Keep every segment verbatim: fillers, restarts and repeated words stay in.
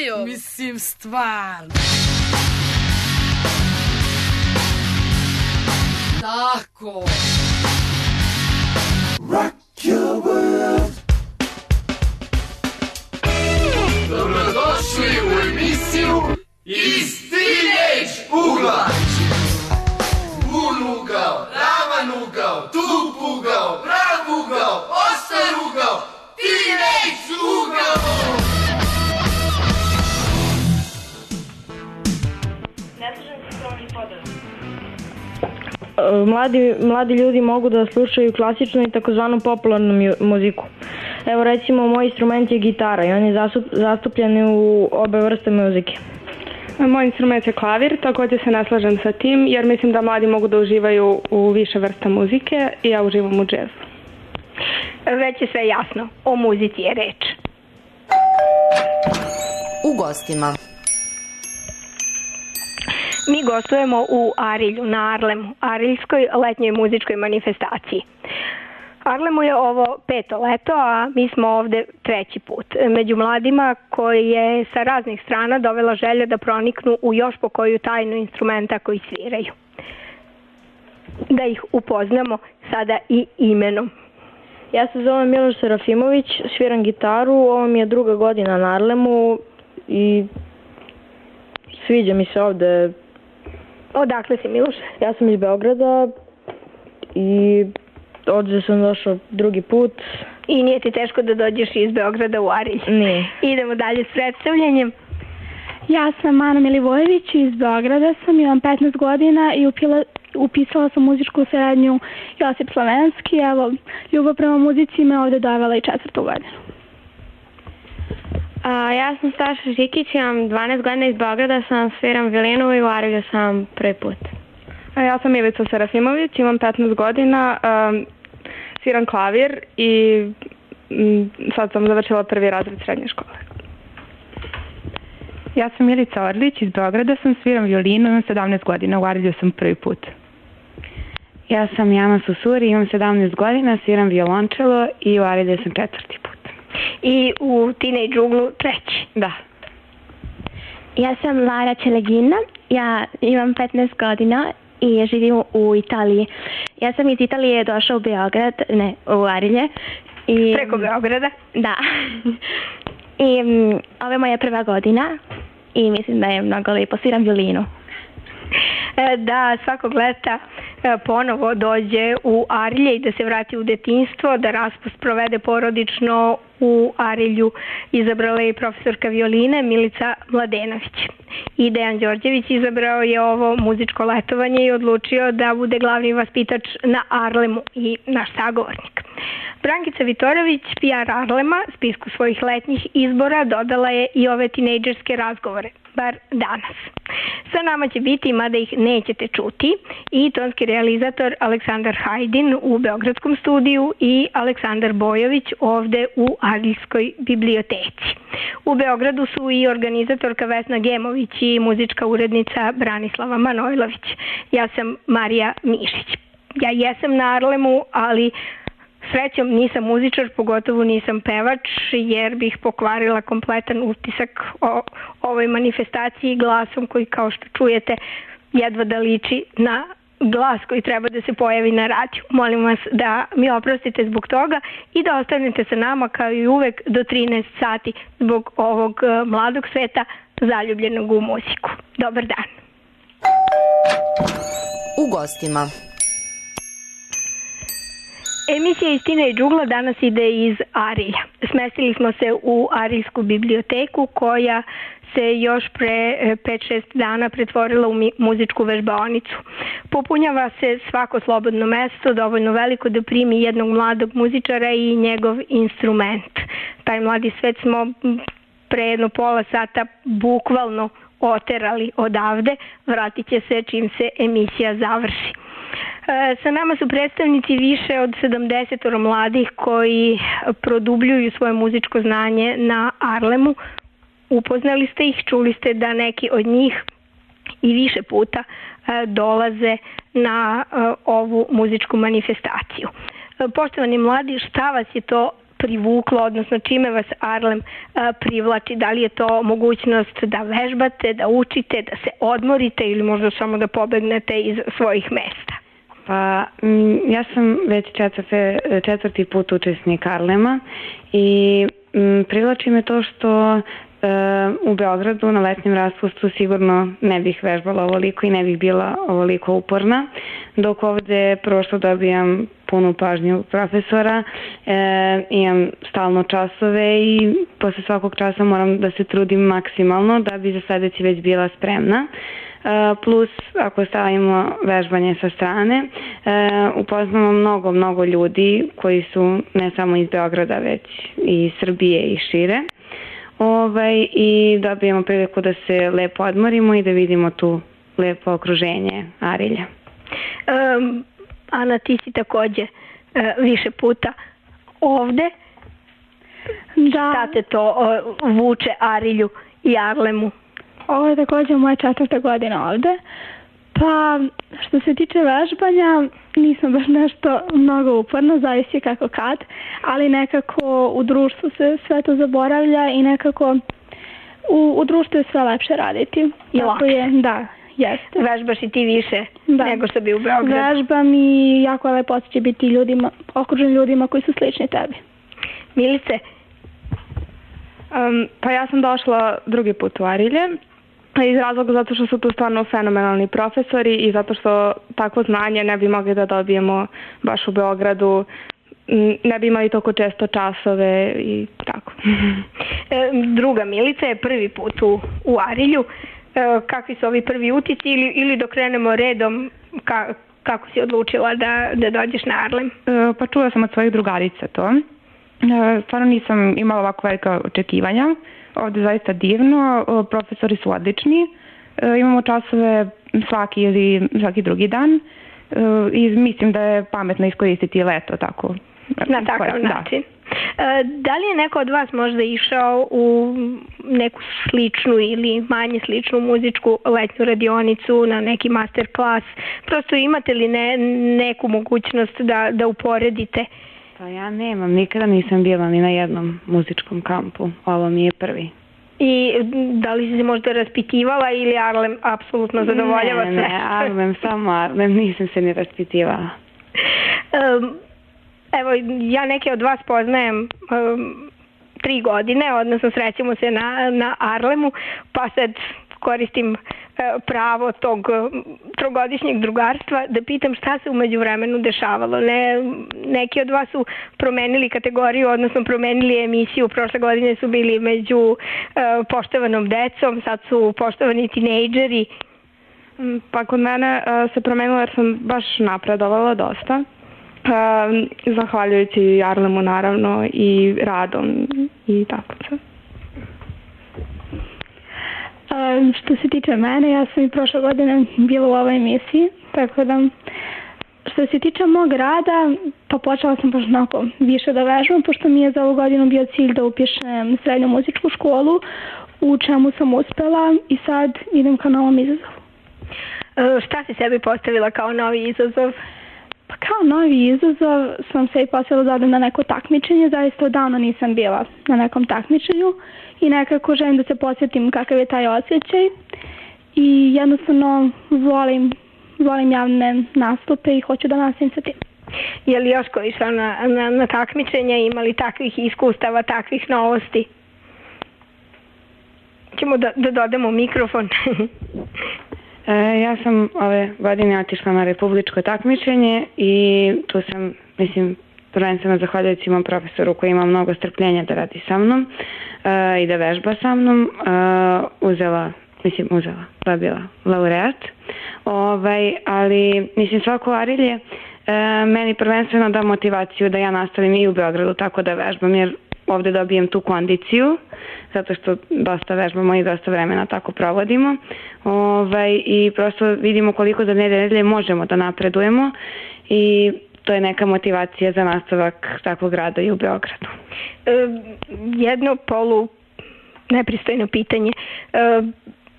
je ovo? Mislim, stvarno. Tako. Rock your world. Dobrodošli u emisiju Iz Teenage ugla. Bun ugao, ravan ugao, tup ugao, prav ugao, oštar ugao, Teenage ugao. Ne slažem se s ovom podrazom. Mladi, mladi ljudi mogu da slušaju klasičnu i takozvanu popularnu muziku. Evo recimo moj instrument je gitara i on je zastup, zastupljen u obe vrste muzike. Moj instrument je klavir, također se ne slažem sa tim jer mislim da mladi mogu da uživaju u više vrsta muzike i ja uživam u džezu. Već je sve jasno, o muzici je reč. U gostima. Mi gostujemo u Arilju, na Arlemu, Ariljskoj letnjoj muzičkoj manifestaciji. Arlemu je ovo peto leto, a mi smo ovde treći put. Među mladima koji je sa raznih strana dovela želja da proniknu u još po koju tajnu instrumenta koji sviraju. Da ih upoznamo sada i imenom. Ja se zovem Miloš Serafimović, sviram gitaru, ovo mi je druga godina na Arlemu i sviđa mi se ovde. Odakle si, Miloš? Ja sam iz Beograda i ovdje sam došao drugi put. I nije ti teško da dođeš iz Beograda u Arilj? Nije. Idemo dalje s predstavljanjem. Ja sam Ana Milivojević, iz Beograda sam, imam petnaest godina i upila, upisala sam muzičku srednju Josip Slovenski. Evo, ljubav prema muzici me ovdje dovela i četvrtu godinu. A, ja sam Staša Žikić, imam dvanaest godina, iz Beograda sam, sviram violinu i u Arilju sam prvi put. A ja sam Ivica Serafimović, imam petnaest godina, um, sviram klavir i um, sad sam završila prvi razred srednje škole. Ja sam Milica Orlić, iz Beograda sam, sviram violinu, imam sedamnaest godina, u Arilju sam prvi put. Ja sam Jana Susuri, imam sedamnaest godina, sviram violončelo i u Arilju sam četvrti put. I u Teenage uglu treći? Da. Ja sam Lara Čelegina, ja imam petnaest godina i živim u Italiji. Ja sam iz Italije došla u Beograd, ne, u Arilje. I, Preko Beograda? Da. I um, ovo je moja prva godina i mislim da je mnogo lijepo, sviram violinu. Da svakog leta ponovo dođe u Arilje i da se vrati u detinjstvo, da raspust provede porodično u Arilju, izabrala je profesorka violine Milica Mladenović. I Dejan Đorđević izabrao je ovo muzičko letovanje i odlučio da bude glavni vaspitač na Arlemu i naš sagovornik. Brankica Vitorović, P R Arlema, spisku svojih letnjih izbora dodala je i ove tinejdžerske razgovore, bar danas. Sa nama će biti, mada ih nećete čuti, i tonski realizator Aleksandar Hajdin u Beogradskom studiju i Aleksandar Bojović ovde u Ariljskoj biblioteci. U Beogradu su i organizatorka Vesna Gemović i muzička urednica Branislava Manojlović. Ja sam Marija Mišić. Ja jesam na Arlemu, ali srećom nisam muzičar, pogotovo nisam pevač, jer bih pokvarila kompletan utisak o ovoj manifestaciji glasom koji, kao što čujete, jedva da liči na glas koji treba da se pojavi na radiju. Molim vas da mi oprostite zbog toga i da ostanete sa nama kao i uvek do trinaest sati zbog ovog mladog sveta zaljubljenog u muziku. Dobar dan. U gostima. Emisija iz Teenage ugla danas ide iz Arilja. Smestili smo se u Ariljsku biblioteku koja se još pre pet šest dana pretvorila u muzičku vežbaonicu. Popunjava se svako slobodno mesto, dovoljno veliko da primi jednog mladog muzičara i njegov instrument. Taj mladi svet smo pre jedno pola sata bukvalno oterali odavde, vratit će se čim se emisija završi. Sa nama su predstavnici više od sedamdeset mladih koji produbljuju svoje muzičko znanje na Arlemu. Upoznali ste ih, čuli ste da neki od njih i više puta dolaze na ovu muzičku manifestaciju. Poštovani mladi, šta vas je to privuklo, odnosno čime vas Arlem privlači? Da li je to mogućnost da vežbate, da učite, da se odmorite ili možda samo da pobegnete iz svojih mesta? Pa, ja sam već četvrti, četvrti put učesnik Arlema i m, privlači me to što e, u Beogradu na letnjem raspustu sigurno ne bih vežbala ovoliko i ne bih bila ovoliko uporna, dok ovde prvo što dobijam punu pažnju profesora, e, imam stalno časove i posle svakog časa moram da se trudim maksimalno da bi za sledeći već bila spremna. Plus, ako stavimo vežbanje sa strane, upoznamo mnogo, mnogo ljudi koji su ne samo iz Beograda, već i iz Srbije i šire. Ovaj, I dobijemo priliku da se lepo odmorimo i da vidimo tu lepo okruženje Arilja. Um, Ana, ti si takođe uh, više puta ovde. Da. Šta te to uh, vuče Arilju i Arlemu? Ovo je također moja četvrta godina ovde. Pa, što se tiče vežbanja, nisam baš nešto mnogo uporno, zavisi kako kad, ali nekako u društvu se sve to zaboravlja i nekako u, u društvu je sve lepše raditi. I lakše. Je, da, jeste. Vežbaš i ti više da. nego što bi u Beogradu. Vežbam i jako je lepo osjećaj biti ljudima, okružen ljudima koji su slični tebi. Milice? Um, pa ja sam došla drugi put u Arilje. Iz razloga zato što su tu stvarno fenomenalni profesori i zato što takvo znanje ne bi mogli da dobijemo baš u Beogradu, ne bi imali toliko često časove i tako. Druga Milica je prvi put u, u Arilju. Kakvi su ovi prvi utisci ili, ili dok krenemo redom, ka, kako si odlučila da, da dođeš na Arlem? Pa čula sam od svojih drugarica to. Stvarno nisam imala ovako velika očekivanja. Ovde je zaista divno, profesori su odlični, imamo časove svaki ili svaki drugi dan i mislim da je pametno iskoristiti leto tako. Na takav način. Da. Da li je neko od vas možda išao u neku sličnu ili manje sličnu muzičku letnju radionicu, na neki master klas? Prosto imate li ne, neku mogućnost da, da uporedite? Pa ja nemam, nikada nisam bila ni na jednom muzičkom kampu, ovo mi je prvi. I da li si se možda raspitivala ili Arlem apsolutno zadovoljava sve? Ne, ne, Arlem, samo Arlem, nisam se ni raspitivala. Um, evo, ja neke od vas poznajem um, tri godine, odnosno srećemo se na, na Arlemu, pa sad koristim pravo tog trogodišnjeg drugarstva da pitam šta se umeđu vremenu dešavalo. Ne, neki od vas su promenili kategoriju, odnosno promenili emisiju. Prošle godine su bili među uh, poštovanom decom, sad su poštovani tinejdžeri. Pa kod mene uh, se promenilo jer sam baš napredovala dosta. Uh, zahvaljujući Arlemu naravno i radom i tako sve. Uh, što se tiče mene, ja sam i prošle godine bila u ovoj emisiji, tako da što se tiče mog rada, pa počela sam baš onako više da vežbam, pošto mi je za ovu godinu bio cilj da upišem srednju muzičku školu, u čemu sam uspela i sad idem ka novom izazovu. Uh, šta si sebi postavila kao novi izazov? Pa kao novi izazov sam se i postavila da odem na neko takmičenje, zaista odavno nisam bila na nekom takmičenju i nekako želim da se posjetim kakav je taj osjećaj i jednostavno volim, volim javne nastupe i hoću da nastavim sa tim. Je li još ko išla na, na, na takmičenja, imali takvih iskustava, takvih novosti? Ćemo da, da dodamo mikrofon. E, ja sam ove godine otišla na republičko takmičenje i tu sam, mislim, prvenstveno zahvaljujući mom profesoru koji ima mnogo strpljenja da radi sa mnom e, i da vežba sa mnom, e, uzela, mislim, uzela, dobila laureat. Ovaj, ali, mislim, svako Arilje e, meni prvenstveno da motivaciju da ja nastavim i u Beogradu tako da vežbam, jer ovde dobijem tu kondiciju, zato što dosta vežbamo i dosta vremena tako provodimo. Ovaj, I prosto vidimo koliko za nedelje možemo da napredujemo i to je neka motivacija za nastavak takvog rada i u Beogradu. E, jedno polu nepristojno pitanje. E,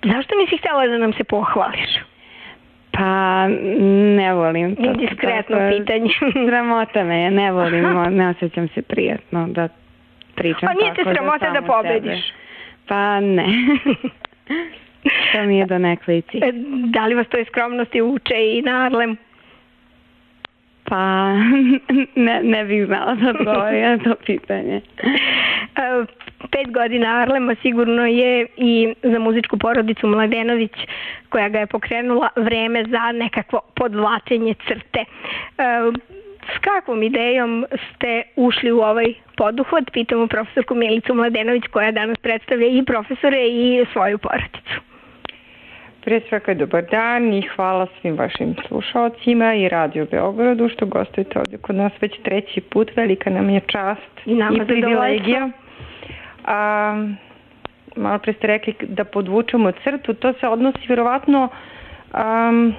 zašto nisi htjela da nam se pohvališ? Pa ne volim. Indiskretno pitanje. Sramota me je, ne volim, ne osjećam se prijatno da pričam tako. A nije te sramota da pobediš? Sebe. Pa ne. To mi je do nekle i cilj. Da li vas to iz skromnosti uče i na Arlem? Pa ne, ne bih znala da odgovorim na to pitanje. Pet godina Arlema sigurno je i za muzičku porodicu Mladenović, koja ga je pokrenula, vreme za nekakvo podvlačenje crte. S kakvom idejom ste ušli u ovaj poduhvat? Pitamo profesorku Milicu Mladenović, koja danas predstavlja i profesore i svoju porodicu. Prije svega dobar dan i hvala svim vašim slušalcima i Radio Beogradu što gostujete ovdje kod nas već treći put. Velika nam je čast i, i privilegija. A, malo pre ste rekli da podvučemo crtu. To se odnosi vjerovatno um,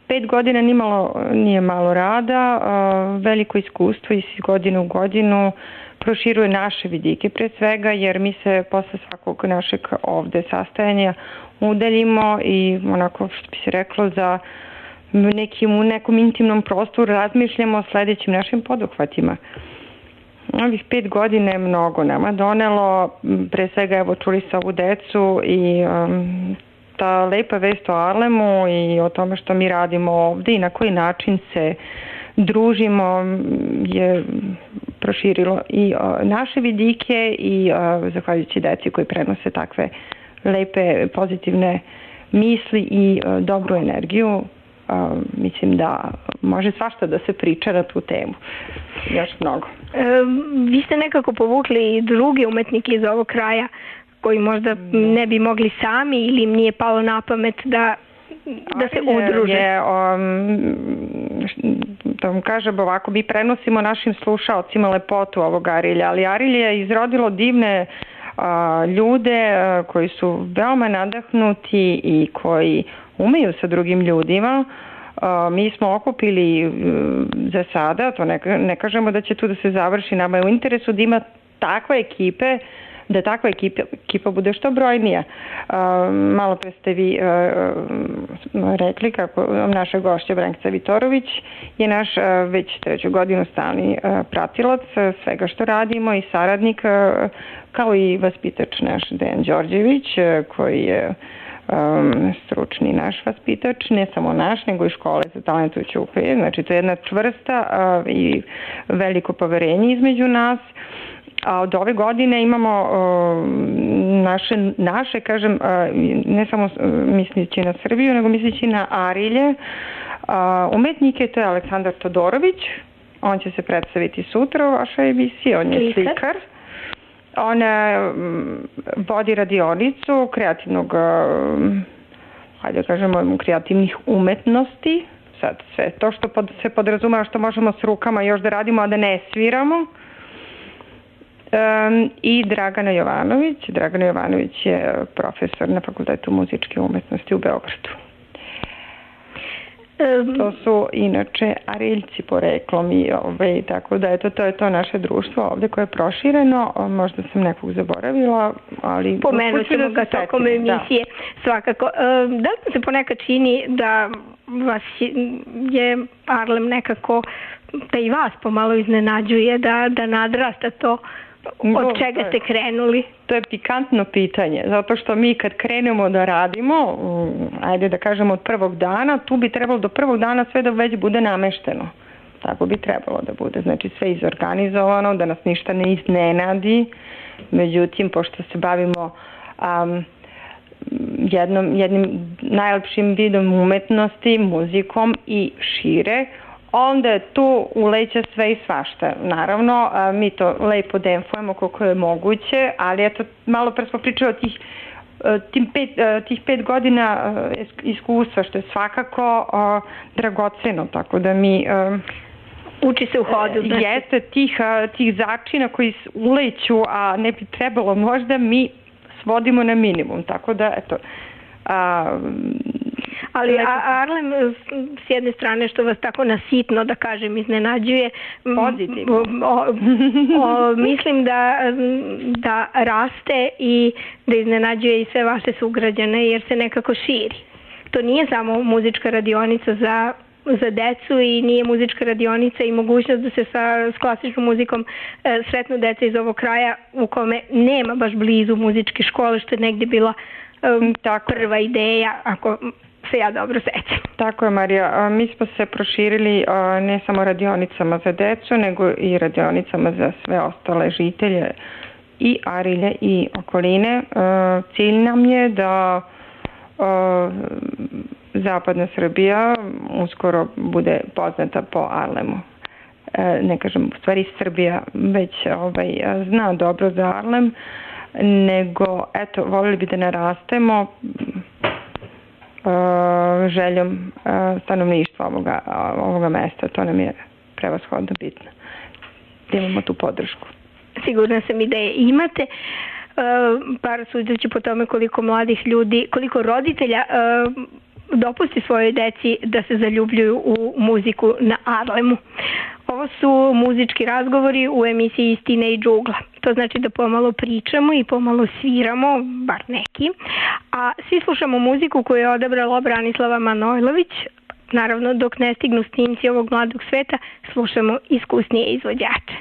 pet godina nimalo, nije malo rada, uh, veliko iskustvo iz godine u godinu proširuje naše vidike pre svega, jer mi se posle svakog našeg ovde sastajanja udaljimo i onako što bi se reklo za nekim, u nekom intimnom prostoru razmišljamo o sledećim našim poduhvatima. Ovih pet godina je mnogo nama donelo, pre svega evo čuli sa ovu decu i um, ta lepa vest o Arlemu i o tome što mi radimo ovde i na koji način se družimo je proširilo i uh, naše vidike i uh, zahvaljujući deci koji prenose takve lepe pozitivne misli i uh, dobru energiju. Uh, mislim da može svašta da se priča na tu temu. Još mnogo. E, vi ste nekako povukli i drugi umetnike iz ovog kraja koji možda ne bi mogli sami ili im nije palo na pamet da, da se udruže. Je, um, da vam kažem ovako, mi prenosimo našim slušalcima lepotu ovog Arilja, ali Arilje je izrodilo divne uh, ljude uh, koji su veoma nadahnuti i koji umeju sa drugim ljudima. Uh, mi smo okupili uh, za sada, to ne, ne kažemo da će tu da se završi, nama je u interesu da ima takve ekipe, da takva ekipa, ekipa bude što brojnija. Uh, malo pre ste vi uh, rekli kako naša gošća Brankica Vitorović je naš uh, već treću godinu stalni uh, pratilac uh, svega što radimo i saradnik, uh, kao i vaspitač naš Dejan Đorđević, uh, koji je Um, stručni naš vaspitač, ne samo naš, nego i škole za talentujuće uklije. Znači, to je jedna čvrsta uh, i veliko poverenje između nas. A od ove godine imamo uh, naše, naše, kažem, uh, ne samo uh, mislići na Srbiju, nego mislići na Arilje. Uh, umetnike, to je Aleksandar Todorović. On će se predstaviti sutra u vašoj emisiji. On je slikar. On vodi radionicu kreativnog, hajde da kažemo, kreativnih umetnosti. Sad sve to što pod, se podrazumeva što možemo s rukama još da radimo, a da ne sviramo. Um, I Dragana Jovanović. Dragana Jovanović je profesor na Fakultetu muzičke umetnosti u Beogradu. To su inače Ariljci poreklom i ove, tako da eto, to je to naše društvo ovde koje je prošireno, možda sam nekog zaboravila, ali pomenut ćemo ga tokom emisije, da. Svakako. Da li se ponekad čini da vas je Arlem nekako, da i vas pomalo iznenađuje, da, da nadrasta to od čega ste krenuli? To je pikantno pitanje, zato što mi kad krenemo da radimo, ajde da kažemo od prvog dana, tu bi trebalo do prvog dana sve da već bude namešteno. Tako bi trebalo da bude. Znači sve izorganizovano, da nas ništa ne iznenadi. Međutim, pošto se bavimo um, jednom, jednim najlepšim vidom umetnosti, muzikom i šire, onda je tu uleće sve i svašta. Naravno, mi to lepo demfujemo koliko je moguće, ali eto, malo pre smo pričali o tih, tim pet, tih pet godina iskustva, što je svakako dragoceno, tako da mi... Uči se u hodu. Znači. Jeste tih, tih začina koji uleću, a ne bi trebalo možda, mi svodimo na minimum, tako da, eto... A, ali Arlem s jedne strane što vas tako nasitno, da kažem, iznenađuje, pozitivno. O, o, mislim da, da raste i da iznenađuje i sve vaše sugrađane jer se nekako širi. to nije samo muzička radionica za za decu i nije muzička radionica i mogućnost da se sa, s klasičnom muzikom e, sretnu deca iz ovog kraja u kome nema baš blizu muzičke škole, što je negdje bila e, Tako. prva ideja, ako se ja dobro sećam. Tako je, Marija. Mi smo se proširili ne samo radionicama za decu, nego i radionicama za sve ostale žitelje i Arilje i okoline. Cilj nam je da zapadna Srbija uskoro bude poznata po Arlemu. Ne kažem u stvari Srbija već ovaj, zna dobro za Arlem, nego eto, voljeli bi da narastemo željom stanovništva ovoga, ovoga mesta. To nam je prevashodno bitno. Da imamo tu podršku. Sigurna sam i da je imate. Par sudeći po tome koliko mladih ljudi, koliko roditelja dopusti svojoj deci da se zaljubljuju u muziku na Arlemu. Ovo su muzički razgovori u emisiji Istine i džugla. To znači da pomalo pričamo i pomalo sviramo, bar neki, a svi slušamo muziku koju je odabrala Branislava Manojlović. Naravno, dok ne stignu snimci ovog mladog sveta, slušamo iskusnije izvođače.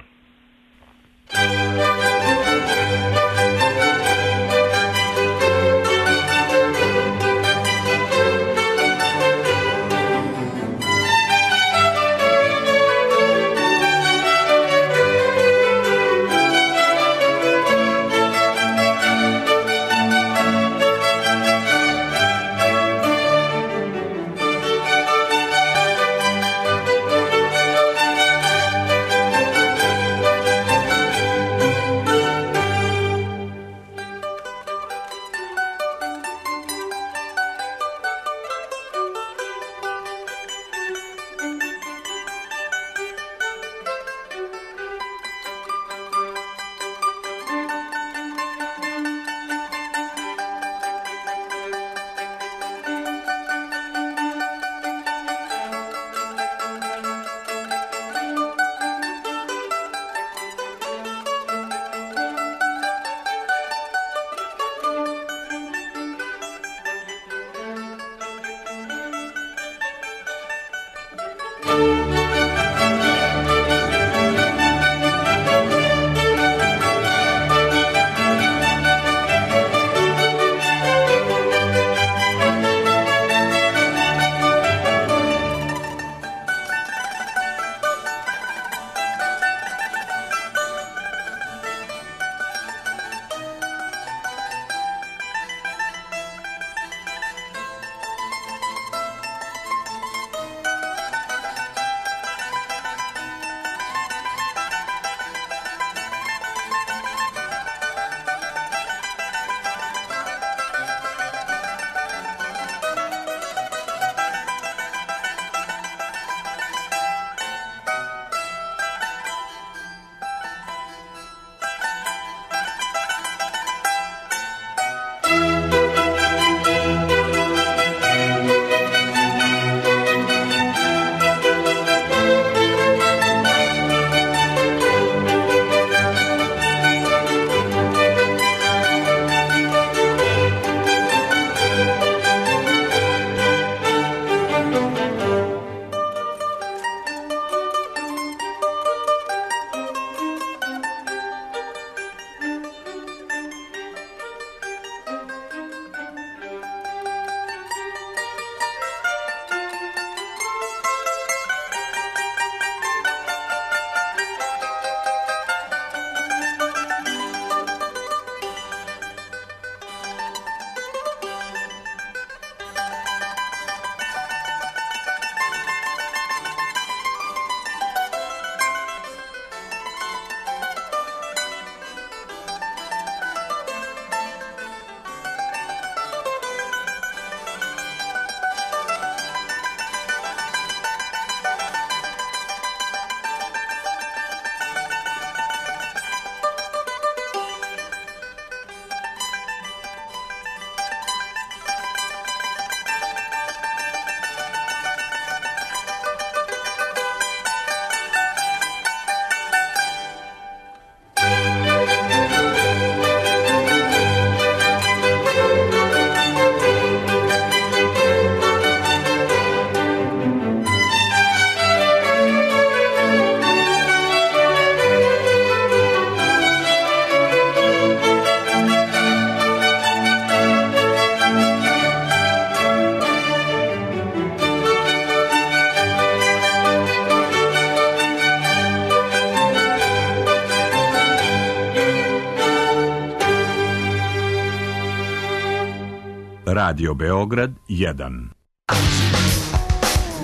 Radio Beograd jedan.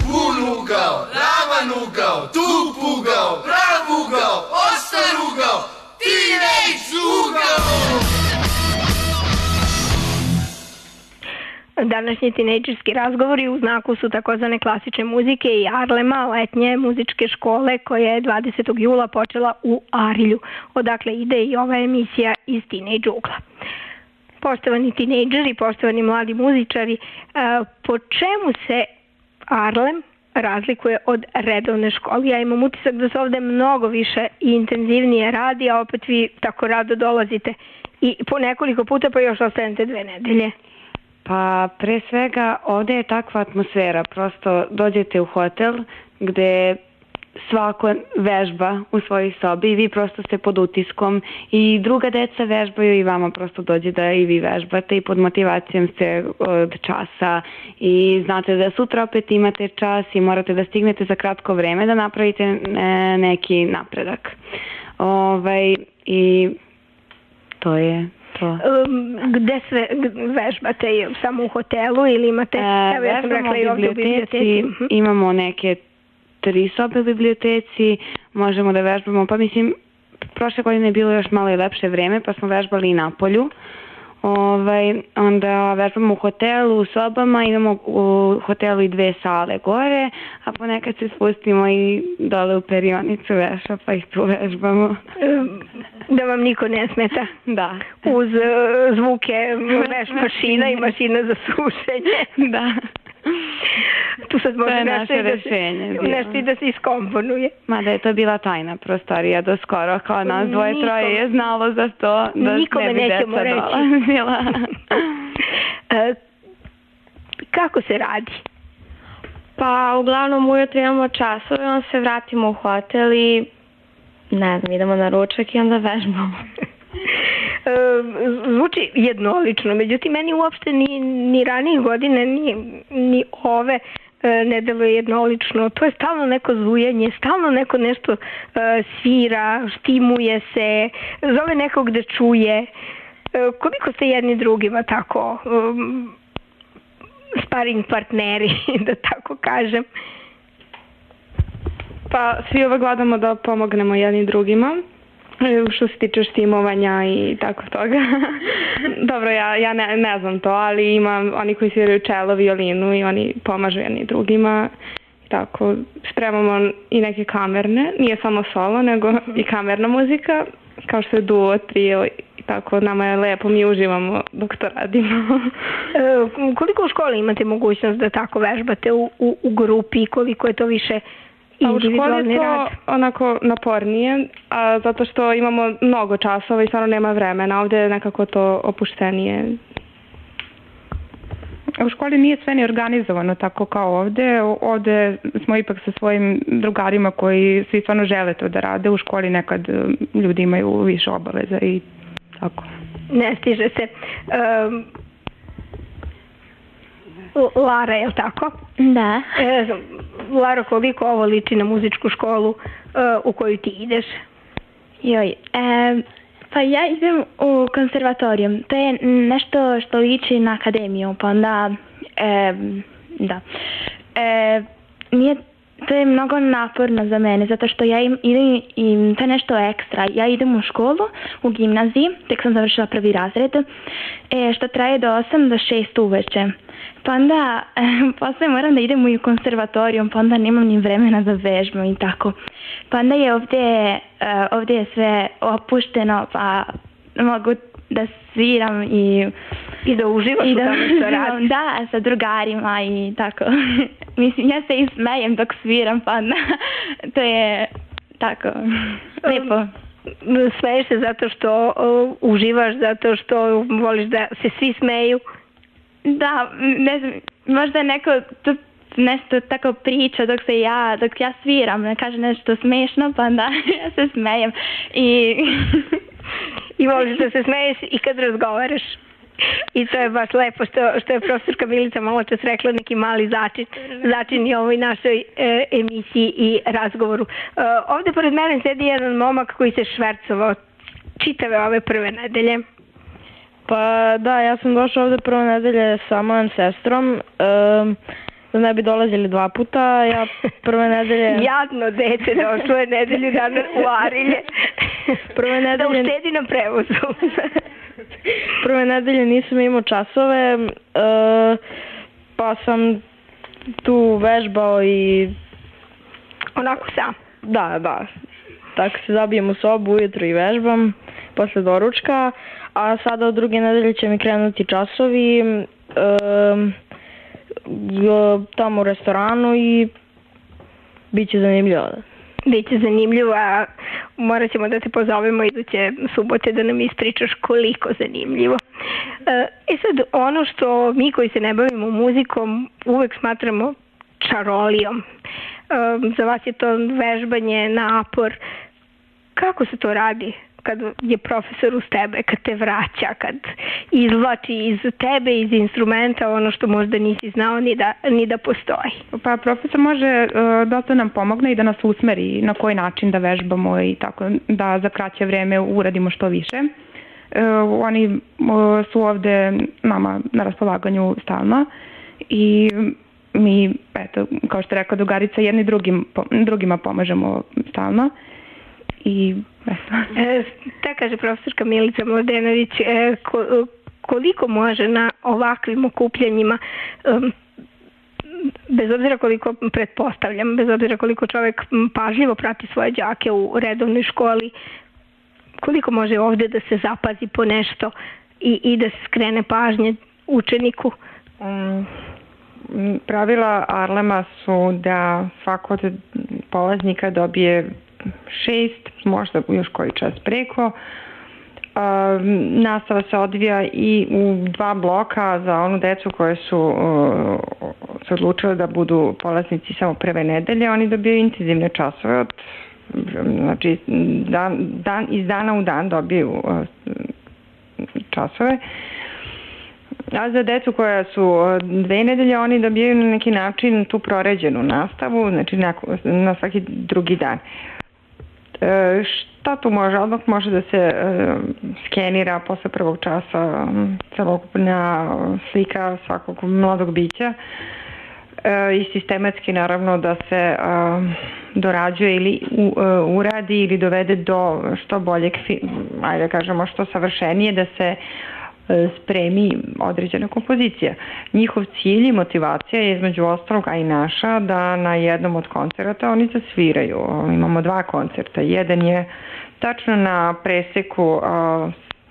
Bun ugao, ravan ugao, tup ugao, prav ugao, ostar ugao, teenage ugao. Današnji tinejdžerski razgovori u znaku su takozvane klasične muzike i Arlema, letnje muzičke škole koja je dvadesetog jula počela u Arilju. Odakle ide i ova emisija iz Tinejdž ugla. Poštovani tinejdžeri, poštovani mladi muzičari, po čemu se Arlem razlikuje od redovne škole? Ja imam utisak da se ovde mnogo više i intenzivnije radi, a opet vi tako rado dolazite i po nekoliko puta pa još ostanete dve nedelje. Pa pre svega ovde je takva atmosfera, prosto dođete u hotel gde svako vežba u svojoj sobi i vi prosto ste pod utiskom i druga deca vežbaju i vama prosto dođe da i vi vežbate i pod motivacijom ste od časa i znate da sutra opet imate čas i morate da stignete za kratko vreme da napravite neki napredak. Ovaj, i to je to. Gde sve vežbate? Samo u hotelu ili imate? E, Evo ja sam rekla i ovdje u biblioteci. Imamo neke tri sobe u biblioteci, možemo da vežbamo, pa mislim, prošle godine je bilo još malo i lepše vreme, pa smo vežbali i na polju. Ovaj, onda vežbamo u hotelu, u sobama, imamo u hotelu i dve sale gore, a ponekad se spustimo i dole u perionicu veša, pa ih tu vežbamo. Da vam niko ne smeta? Da. Uz uh, zvuke veš mašina i mašina za sušenje? Da. Tu sad može to nešto, i da se, nešto i da se iskomponuje. Mada je to bila tajna prostorija do skoro, kao nas dvoje Nikome, troje je znalo za to da nikome ne bi nećemo deca dolazila. e, kako se radi? Pa uglavnom ujutro imamo časove, onda se vratimo u hotel i ne znam, idemo na ručak i onda vežbamo. Zvuči jednolično, međutim meni uopšte ni, ni ranije godine ni, ni ove ne deluje jednolično. To je stalno neko zujanje, stalno neko nešto svira, štimuje se, zove nekog da čuje. Koliko ste jedni drugima tako sparing partneri, da tako kažem? Pa svi uvek gledamo da pomognemo jedni drugima. Što se tiče štimovanja i tako toga. Dobro, ja, ja ne, ne znam to, ali ima oni koji sviraju čelo, violinu i oni pomažu jedni drugima. Tako, spremamo i neke kamerne, nije samo solo, nego i kamerna muzika, kao što je duo, trio i tako, nama je lepo, mi uživamo dok to radimo. E, koliko u školi imate mogućnost da tako vežbate u, u, u grupi, koliko je to više a u školi je to onako napornije, a zato što imamo mnogo časova i stvarno nema vremena. Ovdje je nekako to opuštenije. U školi nije sve ni organizovano tako kao ovde. Ovde smo ipak sa svojim drugarima koji svi stvarno žele to da rade. U školi nekad ljudi imaju više obaveza i tako. Ne stiže se. Um, Lara, je li tako? Da. E, Lara, koliko ovo liči na muzičku školu uh, u koju ti ideš? Joj, e, pa ja idem u konservatorijum. To je nešto što liči na akademiju, pa onda, e, da. E, nije, to je mnogo naporno za mene, zato što ja im, idem i to je nešto ekstra. Ja idem u školu, u gimnaziji, tek sam završila prvi razred, e, što traje do osam do šest uveče. Pa onda, posle moram da idem u konservatorijum, pa onda nemam ni vremena za vežbu i tako. Pa onda je ovdje, ovdje je sve opušteno, pa mogu da sviram i... I da uživaš i u da, tome što radiš. Da, sa drugarima i tako. Mislim, ja se i smejem dok sviram, pa onda to je tako, lepo. Smeješ se zato što uh, uživaš, zato što voliš da se svi smeju? Da, ne znam, možda neko to nešto tako priča dok se ja, dok ja sviram, ne kaže nešto smešno, pa onda ja se smejem i... I voliš da se smeješ i kad razgovaraš. I to je baš lepo što, što je profesorka Milica malo čas rekla, neki mali začin, začin i ovoj našoj e, emisiji i razgovoru. E, ovde pored mene sedi jedan momak koji se švercovao čitave ove prve nedelje. Pa da, ja sam došla ovde prve nedelje sa mojom sestrom. Um, da ne bi dolazili dva puta. Ja prve nedelje... Jadno dete došlo je nedelju dana u Arilje. Prve nedelje... Da uštedi na prevozu. Prve nedelje nisam imao časove, uh, pa sam tu vežbao i... Onako sam? Da, da. Tako se zabijem u sobu ujutro i vežbam posle doručka, a sada od druge nedelje će mi krenuti časovi uh, tamo u restoranu i bit će zanimljivo. Biće zanimljivo, a morat ćemo da te pozovemo iduće subote da nam ispričaš koliko zanimljivo. E sad, ono što mi koji se ne bavimo muzikom uvek smatramo čarolijom. Za vas je to vežbanje, napor. Kako se to radi kad je profesor uz tebe, kad te vraća, kad izvlači iz tebe, iz instrumenta ono što možda nisi znao ni da, ni da postoji? Pa profesor može uh, dosta nam pomogne i da nas usmeri na koji način da vežbamo i tako da za kraće vreme uradimo što više. Uh, oni uh, su ovde nama na raspolaganju stalno i mi, eto, kao što je rekao drugarica, jedni drugim, drugima pomažemo stalno. I e, ta kaže profesorka Milica Mladenović, e, ko, koliko može na ovakvim okupljanjima, um, bez obzira koliko pretpostavljam, bez obzira koliko čovjek pažljivo prati svoje đake u redovnoj školi, koliko može ovde da se zapazi po nešto i, i da se skrene pažnje učeniku? Um, pravila Arlema su da svako od polaznika dobije šest, možda još koji čas preko. Uh, nastava se odvija i u dva bloka za onu decu koje su uh, se odlučile da budu polaznici samo prve nedelje. Oni dobiju intenzivne časove, od, znači dan, dan, iz dana u dan dobiju uh, časove. A za decu koja su dve nedelje, oni dobijaju na neki način tu proređenu nastavu, znači na, na svaki drugi dan. E, šta tu može? Odmah može da se e, skenira posle prvog časa celokupna slika svakog mladog bića e, i sistematski naravno da se e, dorađuje ili u, e, uradi ili dovede do što boljeg, ajde kažemo što savršenije, da se spremi određena kompozicija. Njihov cilj i motivacija je između ostalog, a i naša, da na jednom od koncerata oni zasviraju. Imamo dva koncerta. Jedan je tačno na preseku uh,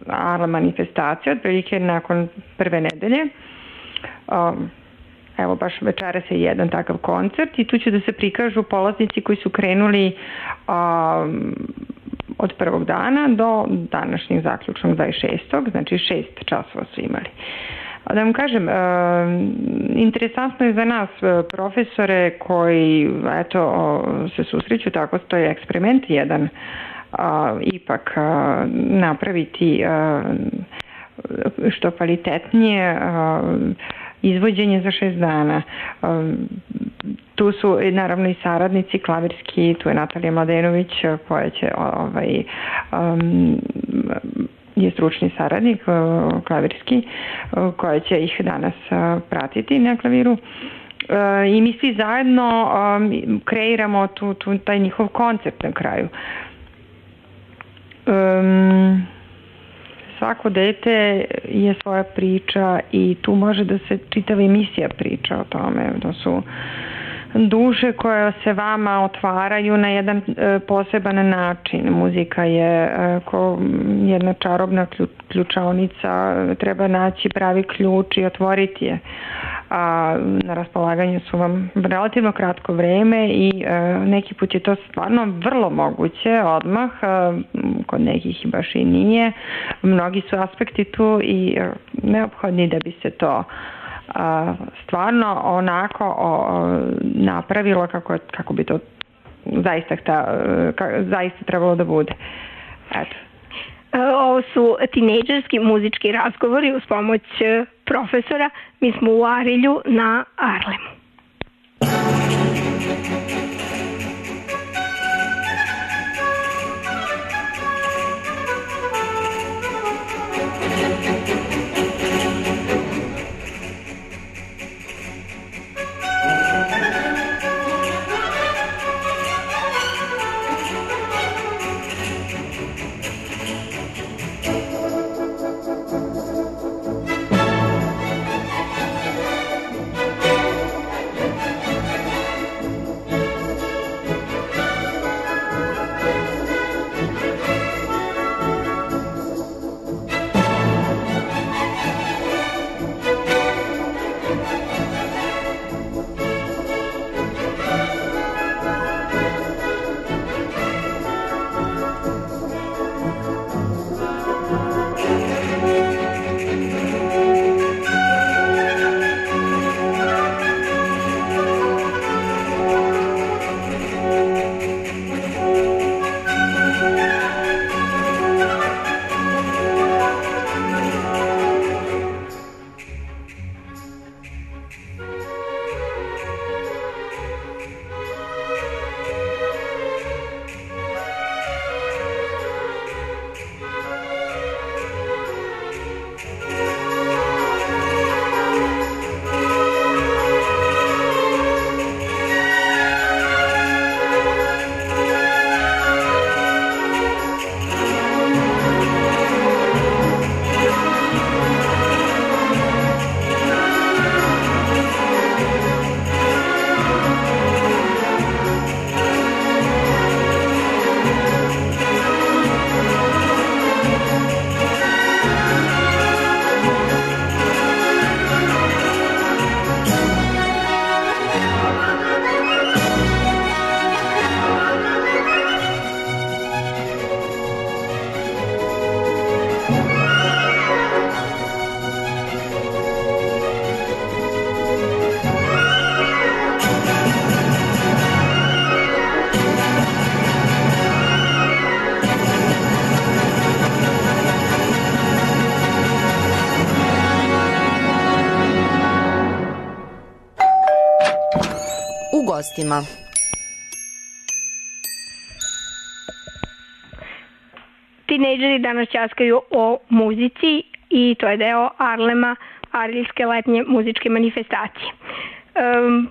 Arla manifestacije, otprilike nakon prve nedelje. Uh, evo baš večeras je jedan takav koncert i tu će da se prikažu polaznici koji su krenuli uh, od prvog dana do današnjeg zaključnog dvadeset šestog Znači šest časova su imali. Da vam kažem, e, interesantno je za nas profesore koji eto, se susreću tako, to je eksperiment jedan a, ipak a, napraviti a, što kvalitetnije a, izvođenje za šest dana. Um, tu su naravno i saradnici klavirski, tu je Natalija Mladenović koja će ovaj, um, je stručni saradnik uh, klavirski uh, koja će ih danas uh, pratiti na klaviru. Uh, I mi svi zajedno um, kreiramo tu, tu, taj njihov koncept na kraju. Um, Svako dete je svoja priča i tu može da se čitava emisija priča o tome. To su duše koje se vama otvaraju na jedan e, poseban način. Muzika je e, ko jedna čarobna ključaonica, treba naći pravi ključ i otvoriti je. A na raspolaganju su vam relativno kratko vreme i e, neki put je to stvarno vrlo moguće odmah, e, kod nekih baš i nije. Mnogi su aspekti tu i e, neophodni da bi se to a, stvarno onako o, napravilo kako, kako bi to zaista, ta, ka, zaista trebalo da bude. Eto. Ovo su tinejdžerski muzički razgovori uz pomoć profesora. Mi smo u Arilju na Arlemu. gostima. Tinejdžeri danas ćaskaju o muzici i to je deo Arlema, Ariljske letnje muzičke manifestacije. Um,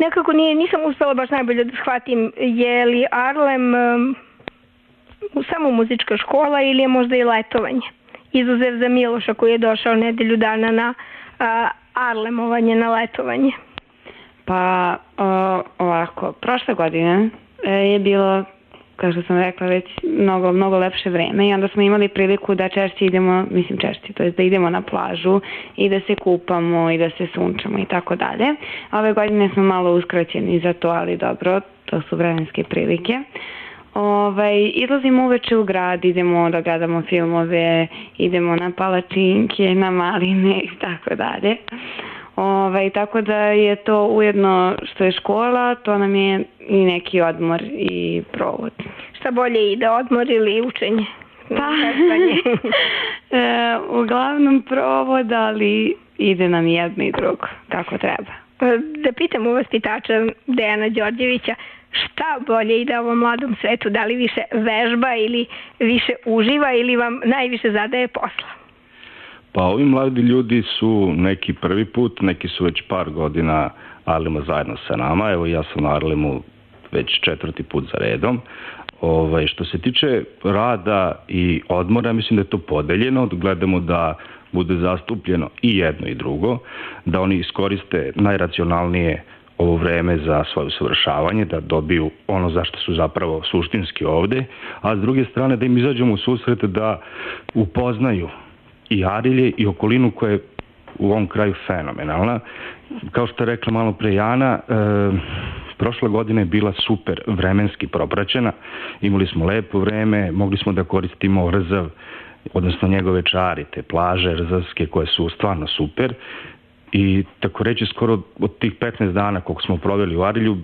nekako nije, nisam uspela baš najbolje da shvatim je li Arlem um, samo muzička škola ili je možda i letovanje. Izuzev za Miloša koji je došao nedelju dana na uh, Arlemovanje, na letovanje. Pa o, ovako, prošle godine e, je bilo, kao što sam rekla, već mnogo, mnogo lepše vreme i onda smo imali priliku da češće idemo, mislim češće, to je da idemo na plažu i da se kupamo i da se sunčamo i tako dalje. Ove godine smo malo uskraćeni za to, ali dobro, to su vremenske prilike. Ovaj, izlazimo uveče u grad, idemo da gledamo filmove, idemo na palačinke, na maline i tako dalje. Ovaj, tako da je to ujedno što je škola, to nam je i neki odmor i provod. Šta bolje ide, odmor ili učenje? Pa, e, uglavnom provod, ali ide nam jedno i drugo, kako treba. Da pitam u vaspitača Dejana Đorđevića, šta bolje ide ovom mladom svetu? Da li više vežba ili više uživa ili vam najviše zadaje posla? Pa ovi mladi ljudi su neki prvi put, neki su već par godina Arlema zajedno sa nama. Evo ja sam na Arlemu već četvrti put za redom. Ovaj, što se tiče rada i odmora, mislim da je to podeljeno. Gledamo da bude zastupljeno i jedno i drugo, da oni iskoriste najracionalnije ovo vreme za svoje usavršavanje, da dobiju ono zašto su zapravo suštinski ovde, a s druge strane da im izađemo u susret da upoznaju i Arilje i okolinu koja je u ovom kraju fenomenalna. Kao što je rekla malo pre Jana, e, prošla godina je bila super vremenski propraćena, imali smo lepo vreme, mogli smo da koristimo Rzav, odnosno njegove čari, te plaže rzavske koje su stvarno super i tako reći skoro od tih petnaest dana koliko smo proveli u Arilju,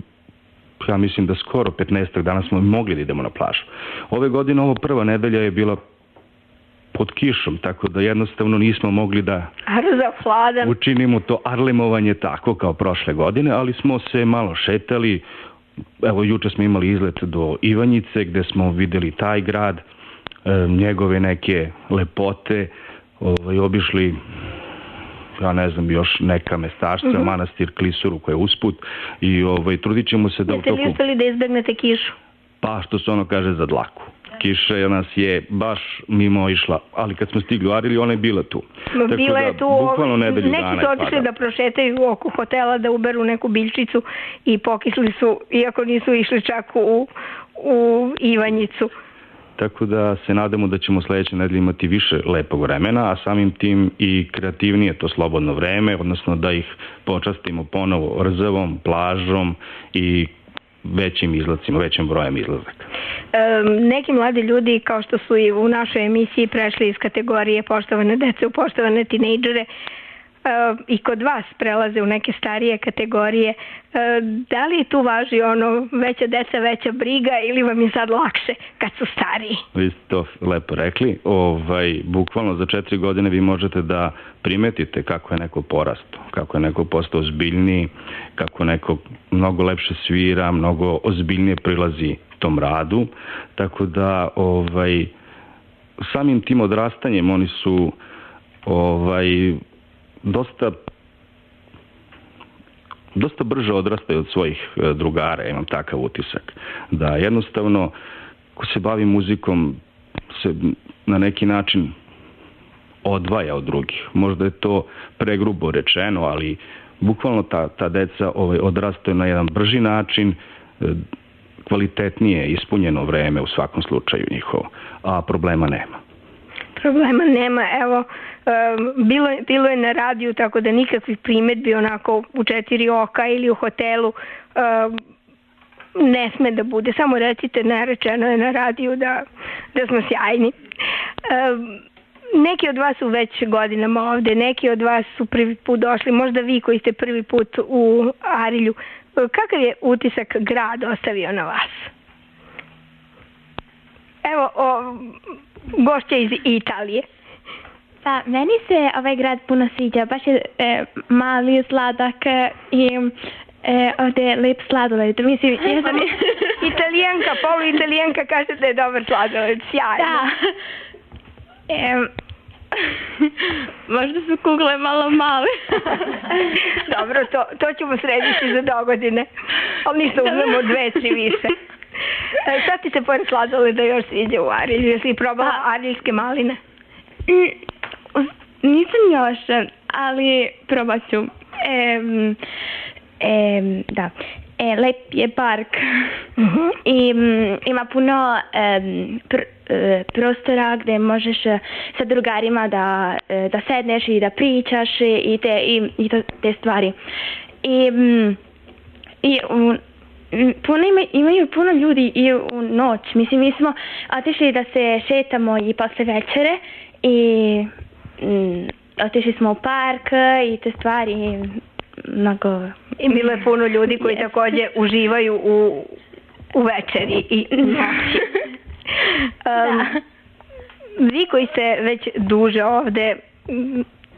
ja mislim da skoro petnaest dana smo mogli da idemo na plažu. Ove godine ovo prva nedelja je bila pod kišom, tako da jednostavno nismo mogli da učinimo to arlemovanje tako kao prošle godine, ali smo se malo šetali. Evo, juče smo imali izlet do Ivanjice gde smo videli taj grad, njegove neke lepote, ovaj, obišli, ja ne znam, još neka mestašca, mm-hmm. manastir Klisuru koja je usput i ovaj, trudit ćemo se da... Jeste li uspeli da izbegnete kišu? Pa, što se ono kaže, za dlaku. Kiša nas je baš mimo išla, ali kad smo stigli u Arilju, ona je bila tu. Bila je tu, bukvalno nedelju dana. Neki su otišli da prošetaju oko hotela, da uberu neku biljčicu i pokisli su, iako nisu išli čak u, u Ivanjicu. Tako da se nadamo da ćemo sledeće nedelje imati više lepog vremena, a samim tim i kreativnije to slobodno vreme, odnosno da ih počastimo ponovo Rzavom, plažom i većim izlacima, većim brojem izlazaka. E, neki mladi ljudi, kao što su i u našoj emisiji prešli iz kategorije poštovane dece u poštovane tinejdžere, e, i kod vas prelaze u neke starije kategorije. E, da li tu važi ono veća deca, veća briga ili vam je sad lakše kad su stariji? Vi ste to lepo rekli. Ovaj, bukvalno za četiri godine vi možete da primetite kako je neko porastao, kako je neko postao ozbiljniji, kako neko mnogo lepše svira, mnogo ozbiljnije prilazi tom radu. Tako da ovaj, samim tim odrastanjem oni su ovaj, dosta dosta brže odrastaju od svojih drugara, imam takav utisak. Da jednostavno, ko se bavi muzikom, se na neki način odvaja od drugih. Možda je to pregrubo rečeno, ali bukvalno ta, ta deca ovaj, odrastaju na jedan brži način, kvalitetnije, ispunjeno vreme u svakom slučaju njihovo, a problema nema. Problema nema, evo, bilo, bilo je na radiju, tako da nikakvih primetbi onako u četiri oka ili u hotelu ne sme da bude. Samo recite, nerečeno je na radiju da, da smo sjajni. Neki od vas su već godinama ovde, neki od vas su prvi put došli, možda vi koji ste prvi put u Arilju. Kakav je utisak grad ostavio na vas? Evo, o, gošća iz Italije. Pa, meni se ovaj grad puno sviđa, baš je e, mali, sladak i E, ovde je lep sladoled. Mislim, ja sam Italijanka, polu italijanka kaže da je dobar sladoled. Sjajno. Da. E, možda su kugle malo male. Dobro, to, to ćemo srediti za dogodine. Ali ništa, uzmemo dve, tri više. E, šta ti se pored sladoleda još sviđa u Arilju? Jesi probala ariljske maline? Nisam još, ali probat ću. E, e, da. E, lep je park. Uh-huh. I m, ima puno e, pr, e, prostora gde možeš sa drugarima da, e, da sedneš i da pričaš i te, i, i to, te stvari. I, m, i u, puno ima, imaju puno ljudi i u noć. Mislim, mi smo otišli da se šetamo i posle večere i m, otišli smo u park i te stvari mnogo... I bilo je puno ljudi koji yes. takođe uživaju u, u večeri i noći. um, vi koji ste već duže ovde,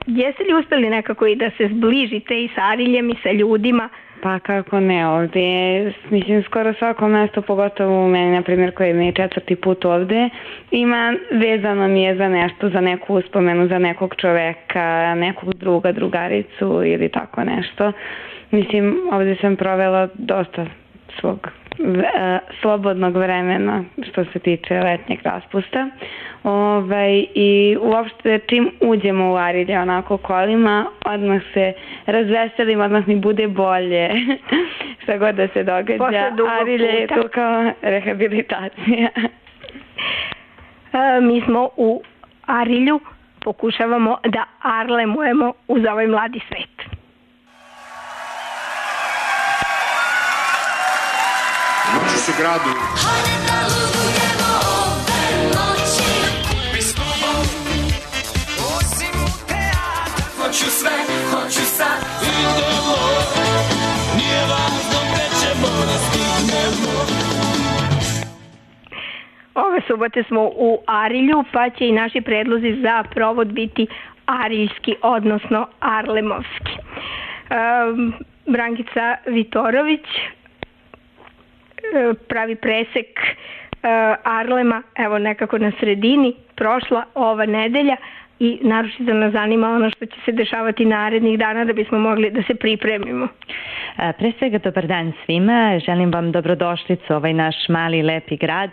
jeste li uspeli nekako i da se zbližite i sa Ariljem i sa ljudima? Pa kako ne, ovde je, mislim, skoro svako mesto, pogotovo u meni, na primjer, koji mi je četvrti put ovde, ima, vezano mi je za nešto, za neku uspomenu, za nekog čoveka, nekog druga, drugaricu ili tako nešto. Mislim, ovde sam provela dosta svog e, slobodnog vremena što se tiče letnjeg raspusta. Ovaj, i uopšte čim uđemo u Arilje onako kolima, odmah se razveselim, odmah mi bude bolje. Šta god da se događa, Arilje je tu kao rehabilitacija. E, mi smo u Arilju, pokušavamo da arlemujemo uz ovaj mladi svet. Noći su gradu. Hajde da ludujemo ove noći. Bez kluba, osim u teatr. Hoću sve, hoću sad. Idemo, nije važno gde ćemo da stignemo. Ove subote smo u Arilju, pa će i naši predlozi za provod biti ariljski, odnosno arlemovski. Um, Brankica Vitorović pravi presek uh, Arlema, evo nekako na sredini, prošla ova nedelja i naročito nas zanima ono što će se dešavati narednih dana da bismo mogli da se pripremimo. Pre svega dobar dan svima, želim vam dobrodošlicu u ovaj naš mali lepi grad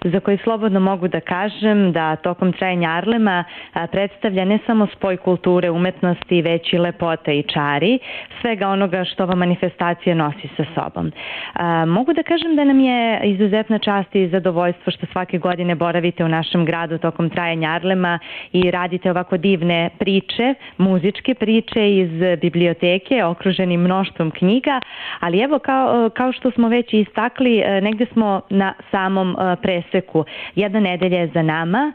za koji slobodno mogu da kažem da tokom trajanja Arlema predstavlja ne samo spoj kulture, umetnosti, već i lepota i čari, svega onoga što ova manifestacija nosi sa sobom. Mogu da kažem da nam je izuzetna čast i zadovoljstvo što svake godine boravite u našem gradu tokom trajanja Arlema i radite ovako divne priče, muzičke priče iz biblioteke, okruženi mnoštvom knjiga, ali evo kao, kao što smo već istakli, negde smo na samom preseku. Jedna nedelja je za nama,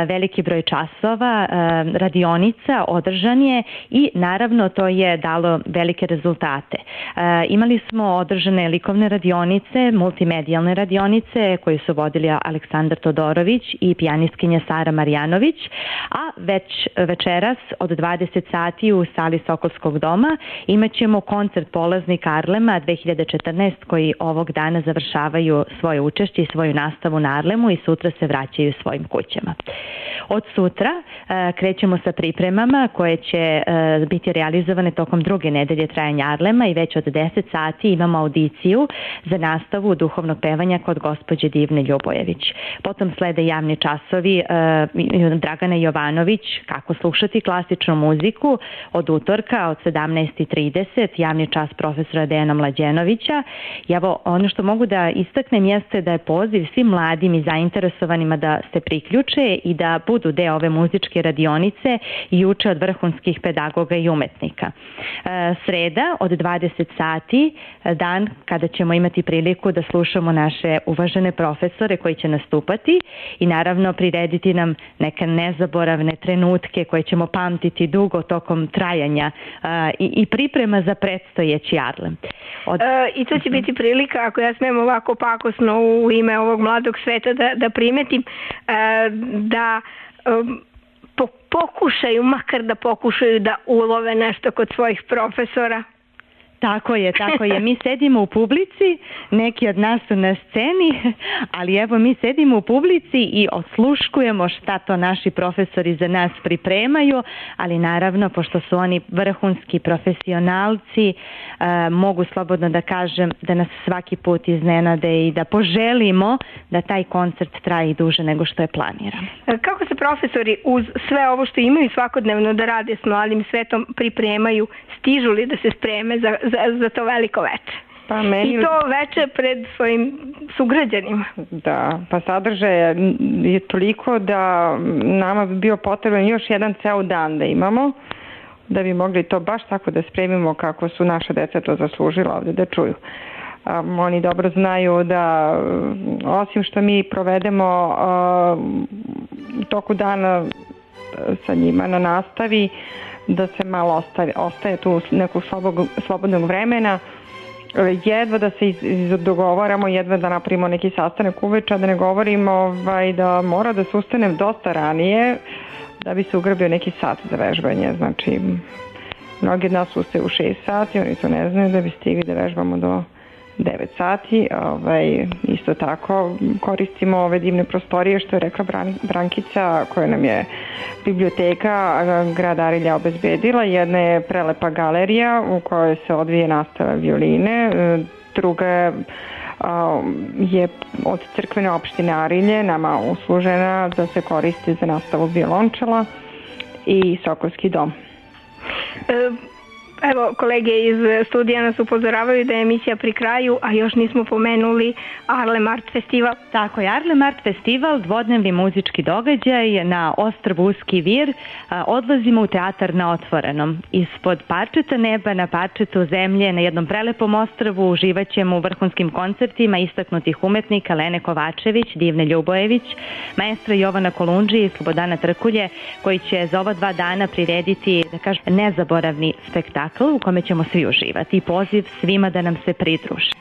veliki broj časova, radionica održan je i naravno to je dalo velike rezultate. Imali smo održane likovne radionice, multimedijalne radionice koje su vodili Aleksandar Todorović i pijanistkinja Sara Marjanović, a već večeras od dvadeset sati u sali Sokolskog doma imat ćemo koncert polaznika Arlema dve hiljade četrnaeste koji ovog dana završavaju svoje učešće i svoju nastavu na Arlemu i sutra se vraćaju svojim kućama. Od sutra uh, krećemo sa pripremama koje će uh, biti realizovane tokom druge nedelje trajanja Arlema i već od deset sati imamo audiciju za nastavu duhovnog pevanja kod gospođe Divne Ljubojević. Potom slede javni časovi uh, Dragana Jovanović, kako slušati klasičnu muziku od utorka od sedamnaest i trideset, javni čas profesora Dejana Mlađenovića. I evo, ono što mogu da istaknem jeste da je poziv svim mladim i zainteresovanima da se priključe i da budu deo ove muzičke radionice i uče od vrhunskih pedagoga i umetnika. E, sreda od dvadeset sati, dan kada ćemo imati priliku da slušamo naše uvažene profesore koji će nastupati i naravno prirediti nam neke nezaboravne trenutke koje ćemo pamtiti dugo tokom trajanja uh, i, i priprema za predstojeći Arlem. Od... E, I to će biti prilika, ako ja smijem ovako pakosno u ime ovog mladog sveta da, da primetim, e, da um, po, pokušaju, makar da pokušaju da ulove nešto kod svojih profesora. Tako je, tako je. Mi sedimo u publici, neki od nas su na sceni, ali evo mi sedimo u publici i osluškujemo šta to naši profesori za nas pripremaju, ali naravno, pošto su oni vrhunski profesionalci, e, mogu slobodno da kažem da nas svaki put iznenade i da poželimo da taj koncert traje i duže nego što je planirano. Kako se profesori uz sve ovo što imaju svakodnevno da rade s mladim svetom pripremaju, stižu li da se spreme za, za, za to veliko veče? Pa meni... I to veče pred svojim sugrađanima. Da, pa sadržaj je toliko da nama bi bio potreban još jedan ceo dan da imamo, da bi mogli to baš tako da spremimo kako su naša deca to zaslužila ovde da čuju. Um, oni dobro znaju da osim što mi provedemo um, toku dana sa njima na nastavi, da se malo ostaje, ostaje tu nekog slobog, slobodnog vremena, jedva da se iz, iz, dogovaramo, jedva da napravimo neki sastanak uveče, da ne govorimo ovaj, da mora da se ustanem dosta ranije da bi se ugrabio neki sat za vežbanje. Znači, mnogi od nas ustaju u šest sati, oni to ne znaju, da bi stigli da vežbamo do devet sati. Ovaj, isto tako koristimo ove divne prostorije što je rekla Bran, Brankica, koja nam je biblioteka grad Arilja obezbedila. Jedna je prelepa galerija u kojoj se odvije nastava violine, druga je od crkvene opštine Arilje nama uslužena da se koristi za nastavu violončela i Sokolski dom. E Evo, kolege iz studija nas upozoravaju da je emisija pri kraju, a još nismo pomenuli Arlem Art Festival. Tako je, Arlem Art Festival, dvodnevni muzički događaj na ostrvu Uski Vir. Odlazimo u teatar na otvorenom. Ispod parčeta neba na parčetu zemlje na jednom prelepom ostrvu uživat ćemo u vrhunskim koncertima istaknutih umetnika Lene Kovačević, Divne Ljubojević, maestra Jovana Kolundži i Slobodana Trkulje, koji će za ova dva dana prirediti, da kažem, nezaboravni spektakl u kome ćemo svi uživati i poziv svima da nam se pridruže.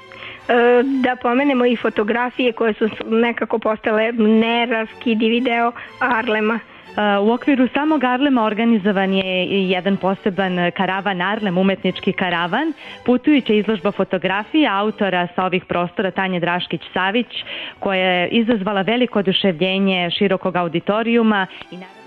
Da pomenemo i fotografije koje su nekako postale neraskidivi deo Arlema. U okviru samog Arlema organizovan je jedan poseban karavan Arlem, umetnički karavan, putujuća izložba fotografija autora sa ovih prostora Tanje Draškić-Savić, koja je izazvala veliko oduševljenje širokog auditorijuma i naravno